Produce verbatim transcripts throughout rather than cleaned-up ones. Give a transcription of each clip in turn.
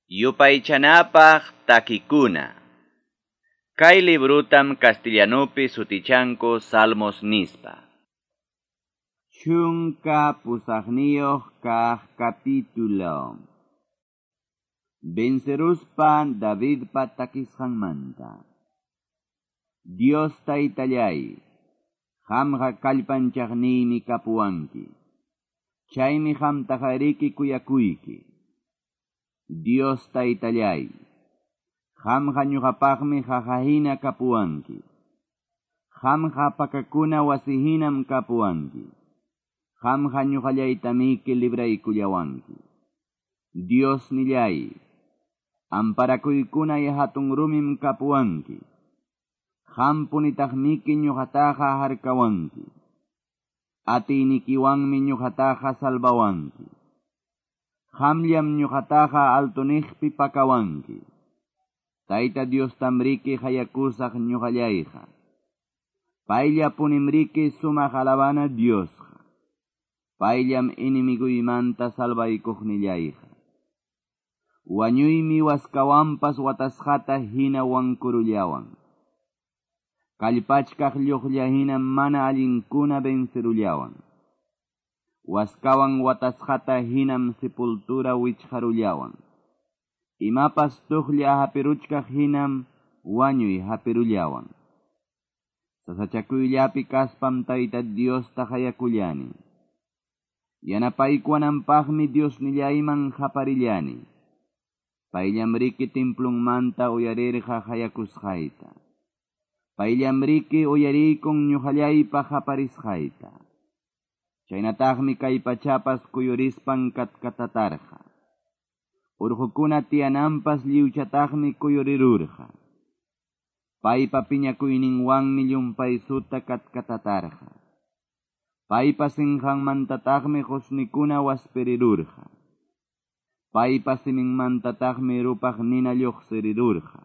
Yupaychanapaq takikuna. Kay librutam castellanupi sutichanku Salmos nispa. Chunka pusaqniyuq kaq capítulo. Venceruspa Davidpa takisqanmanta. Dios taytallay, qamqa kallpanchaqniymi kapuwanki. Chaymi qamtaqariki kuyakuyki. Dios taytallay, qamqa ñuqapaqmi qaqahina kapuwanki. Qamqa pakakuna wasihinam kapuwanki. Qamqa ñuqallaytamiki libraykullawanki. Dios nillay, amparakuykunay hatun rumim kapuwanki. Qampunitaqmiki ñuqataqa harkawanki. Atiynikiwanmi ñuqataqa salvawanki. Qamllam ñuqataqa altuniqpi pakawanki. Tayta Diostamriki hayakusaq ñuqallayqa. Payllapunimriki sumaq alabana Diosqa. Payllam enemigoymanta salvaykuqnillayqa. Wañuymi waskawanpas watasqata hina wankurullawan. Kallpachkaq lluqlla hina mana allinkuna vencerullawan. Waskawan watasqata hinam sepultura wichqarullawan. Imapas tuqlla hapiruchkaq hinam wañuy hapirullawan. Sasachakuyllapi kaspam Tayta Diosta hayakullani. Yanapaykuwananpaqmi Diosnillayman qaparillani. Payllamriki templunmanta uyarirqa hayakusqayta. Payllamriki uyariykun ñuqallaypa qaparisqayta. Chaynataqmi kay pachapas kuyurispan katkatatarqa. Urqukuna tiyananpas lliwchataqmi kuyurirurqa. Paypa piñakuyninwanmi llumpaysuta katkatatarqa. Paypa sinqanmantataqmi qusnikuna waspirirurqa. Paypa siminmantataqmi rupaq nina lluqsirirurqa.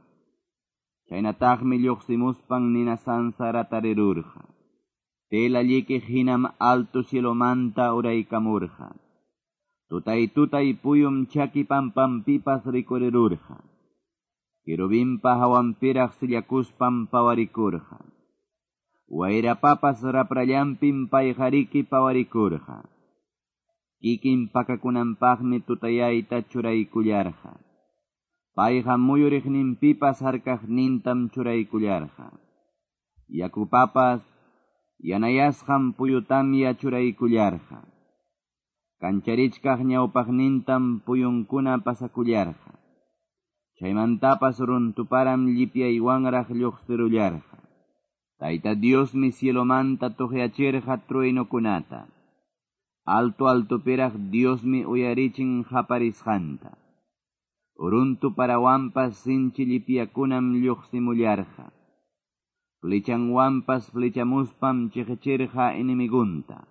Chaynataqmi lluqsimuspan nina sansaratarirurqa. Tela llikiq hinam alto cielomanta uraykamurqa. Tutay tutay puyum chaki pampampipas rikurirurqa. Querubinpa hawanpiraq sillakuspam pawarikurqa. Wayrapapas raprallanpim payqariki pawarikurqa. Kikin pakakunanpaqmi tutayayta churaykullarqa. Payqa muyuriqninpipas harkaqnintam churaykullarqa. Yakupapas yanayasqan puyutamya churaykullarqa. Kancharichkaq ñawpaqnintam puyunkuna pasakullarqa. Chaymantapas runtuparam llipyaywanraq lluqsirullarqa. Tayta Diosmi cielomanta tuqyachirqa truenukunata. Alto altopiraq Diosmi uyarichin qaparisqanta. Runtu parawanpas sinchi llipyakunam lluqsimullarqa. Flechanwanpas flechamuspam chiqichirqa enemigunta.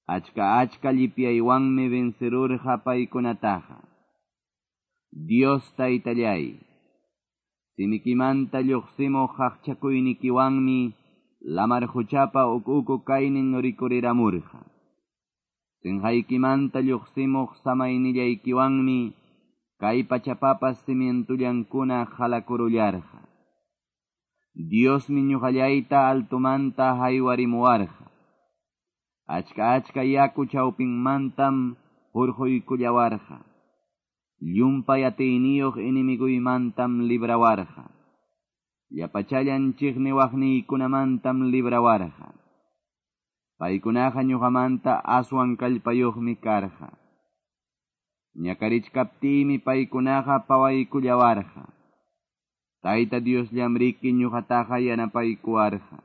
Achka achka llipyaywanmi vencerurqa paykunataqa. Dios taytallay, simikimanta lluqsimuq qaqchakuynikiwanmi lamar quchapa uku kaynin rikuriramurqa. Sinqaykimanta lluqsimuq samaynillaykiwanmi kay pachapapas cimientullankuna halakurullarqa. Diosmi ñuqallayta altumanta haywarimuwarqa. Achka achka yaku chawpinmantam hurquykullawarqa. Llumpay atiyniyuq enemiguymantam librawarqa. Llapachallan chiqniwaqniykunamantam librawarqa. Paykunaqa ñuqamanta aswan kallpayuqmi karqa. Ñakarichkaptiymi paykunaqa pawaykullawarqa. Tayta Diosllamriki ñuqataqa yanapaykuwarqa.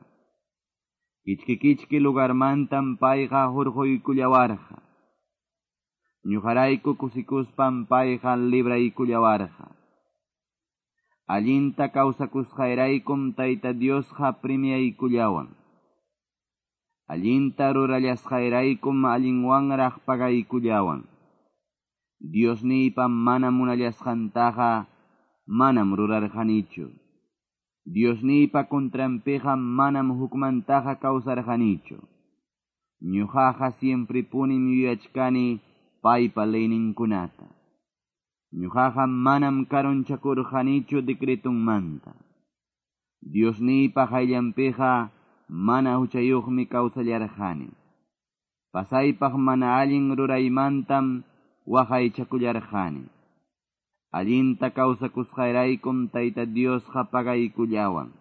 Kichki kichki lugarmantam payqa hurquykullawarqa. Ñuqarayku kusikuspam payqa libraykullawarqa. Allinta kawsakusqayraykum Tayta Diosqa premiaykullawan. Allinta rurallasqayraykum allinwanraq pagaykullawan. Diosniypa mana munallasqantaqa manam rurarqanichu. Diosniypa contranpiqa manam hukmantaqa kawsarqanichu. Ñuqaqa siemprepunim yuyachkani paypa leyninkunata. Ñuqaqa manam karunchakurqanichu decretunmanta. Diosniypa qayllanpiqa mana huchayuqmi kawsallarqani. Pasaypaq mana allin ruraymantam waqaychakullarqani. Allinta kawsakusqayraykum Tayta Diosqa pagaykullawan.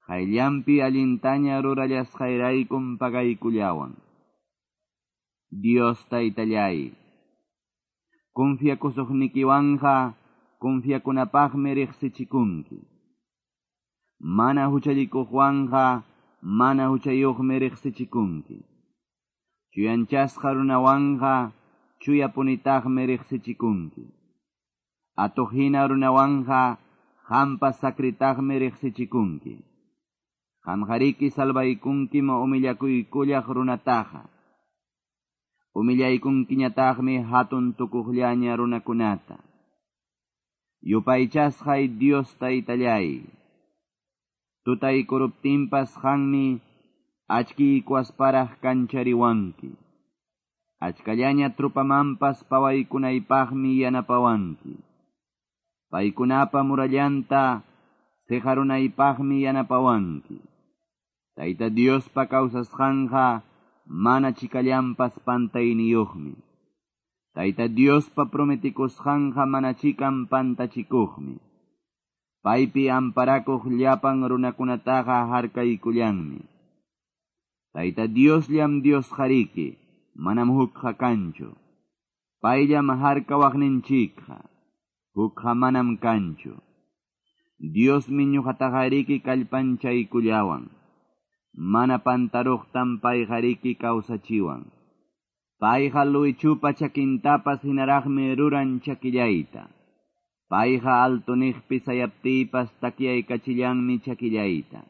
Qayllanpi allintaña rurallasqayraykum pagaykullawan. Dios Taytallay, confiakusuqnikiwanqa confiakunapaqmi riqsichikunki. Mana huchallikuqwanqa mana huchayuqmi riqsichikunki. Chuyanchasqa runawanqa chuyapunitaqmi riqsichikunki. Atuqhina runawanqa qampas sakritaqmi riqsichikunki. Qamqariki salvaykunkim humillakuykullaq runataqa. Humillaykunkiñataqmi hatun tukuqllaña runakunata. Yupaychasqay Dios Taytallay, tutaykuruptinpas qanmi achkiykuasparaq kanchariwanki. Achkallaña trupamanpas pawaykunaypaqmi yanapawanki. Paykunapa murallanta seqarunaypaqmi yanapawanki. Tayta Diospa kawsasqanqa mana chikallanpas pantayniyuqmi. Tayta Diospa prometikusqanqa mana chikan pantachikuqmi. Paypi amparakuq llapan runakunataqa harkaykullanmi. Tayta Diosllam Diosqariki, manam hukqa kanchu. Payllam harkawaqninchikqa, hukqa manam kanchu. Diosmi ñuqataqariki kallpanchaykullawan. Mana pantaruqtam payqariki kawsachiwan. Payqa luwichupa chakintapas hinaraqmi ruran chakillayta. Payqa altuniqpi sayaptiypas takyaykachillanmi chakillayta.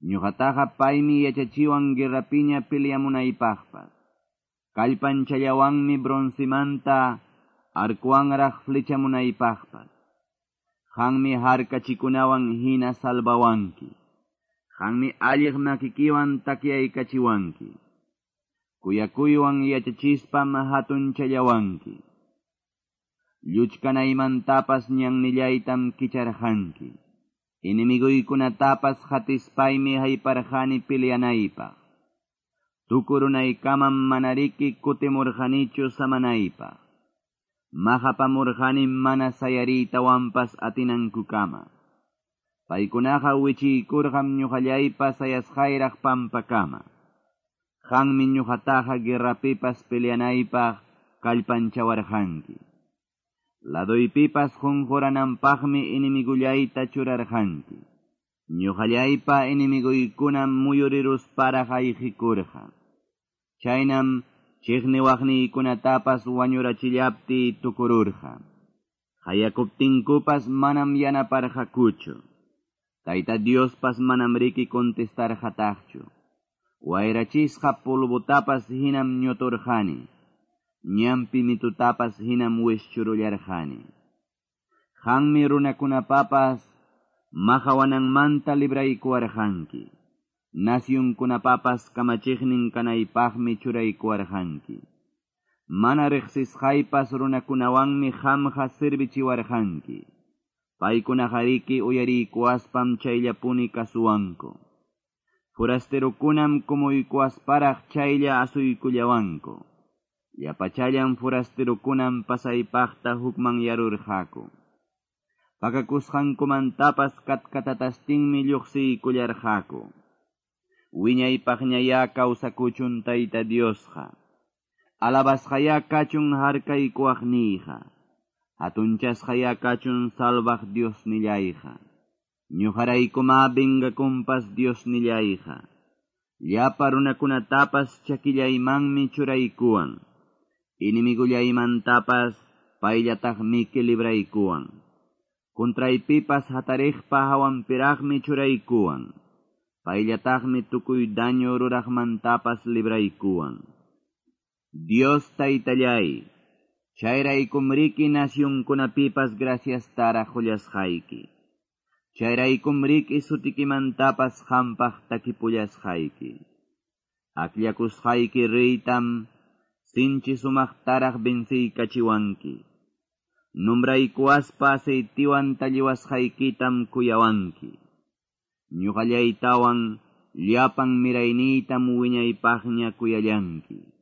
Ñuqataqa paymi yachachiwan guerrapiña peleamunaypaqpas. Kallpanchallawanmi broncemanta arkuwanraq flechamunaypaqpas. Qanmi harkachikunawan hina salvawanki. Qanmi alliq makikiwan takyaykachiwanki. Kuyakuywan yachachispam hatunchallawanki. Lluchkanaymantapas ñannillaytam kicharqanki. Enemiguykunatapas hatispaymi hayparqani peleanaypaq. Tukurunaykamam manariki kutimurqanichu samanaypaq. Maqapamurqani mana sayariytawanpas atinankukama. Paykunaqa wichiykurqam ñuqallaypa sayasqayraq pampakama. Qanmi ñuqataqa guerrapipas peleanaypaq kallpanchawarqanki. Laduypipas qunqurananpaqmi enemigullayta churarqanki. Ñuqallaypa enemiguykunam muyurirusparaq ayqikurqa. Chaynam chiqniwaqniykunatapas wañurachillaptiy tukururqa. Hayakuptinkupas manam yanaparqakuchu. Tayta Diospas manam riki contestarqataqchu. Wayrachisqa polvotapas hinam ñuturqani. Ñampi mitutapas hinam wischurullarqani. Qanmi runakunapapas maqawananmanta libraykuwarqanki. Nasyunkunapapas kamachiqnin kanaypaqmi churaykuwarqanki. Mana riqsisqaypas runakunawanmi qamqa servichiwarqanki. Paykunaqariki uyariykuwaspam chayllapuni kasuwanku. Forasterokunam kumuykuwasparaq chaylla asuykullawanku. Llapachallan forasterokunam pasaypaqta hukmanyarurqaku. Pakakusqankumantapas katkatatastinmi lluqsiykullarqaku. Wiñaypaqñayá kawsakuchun Tayta Diosqa. Alabasqayá kachun harkaykuwaqniyqa. Hatunchasqayá kachun salvaq Diosnillayqa. Ñuqaraykuma vengakunpas Diosnillayqa. Llapa runakunatapas chakillaymanmi churaykuwan. Enemigullaymantapas payllataqmiki libraykuwan. Contraypipas hatariqpa hawanpiraqmi churaykuwan. Payllataqmi tukuy daño ruraqmantapas libraykuwan. Dios Taytallay, chayraykumriki nasyunkunapipas graciastaraq qullasqayki. Chayraykumriki sutikimantapas qampaq takipullasqayki. Akllakusqayki reytam sinchi sumaqtaraq venciykachiwanki. Nombraykuwaspa aceitewan talliwasqaykitam kuyawanki. Ñoqallaytawan llapan mirayniytam wiñaypaqña kuyallanki.